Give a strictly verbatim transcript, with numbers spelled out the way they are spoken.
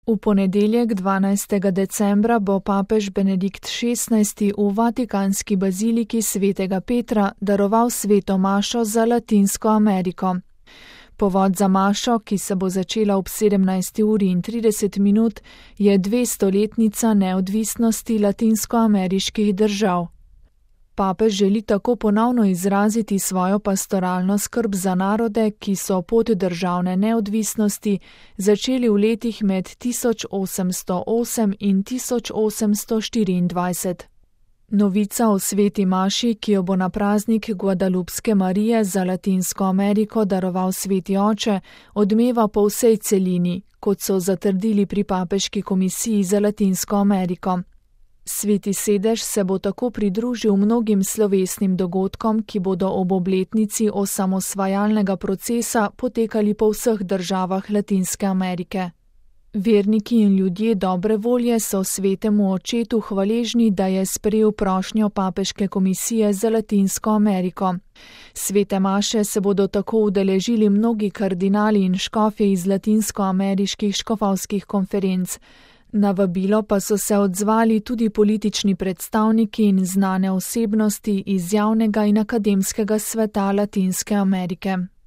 V ponedeljek dvanajstega decembra bo papež Benedikt šestnajsti v vatikanski baziliki svetega Petra daroval sveto mašo za Latinsko Ameriko. Povod za mašo, ki se bo začela ob sedemnajsti uri in trideset minut, je dvestoletnica neodvisnosti latinskoameriških držav. Papež želi tako ponovno izraziti svojo pastoralno skrb za narode, ki so pot državne neodvisnosti začeli v letih med tisoč osemsto osem in tisoč osemsto štiriindvajset. Novica o sveti maši, ki jo bo na praznik Guadalupske Marije za Latinsko Ameriko daroval sveti oče, odmeva po vsej celini, kot so zatrdili pri papeški komisiji za Latinsko Ameriko. Sveti sedež se bo tako pridružil mnogim slovesnim dogodkom, ki bodo ob obletnici osamosvajalnega procesa potekali po vseh državah Latinske Amerike. Verniki in ljudje dobre volje so svetemu očetu hvaležni, da je sprejel prošnjo papeške komisije za Latinsko Ameriko. Svete maše se bodo tako udeležili mnogi kardinali in škofje iz latinskoameriških škofovskih konferenc. Na vabilo pa so se odzvali tudi politični predstavniki in znane osebnosti iz javnega in akademskega sveta Latinske Amerike.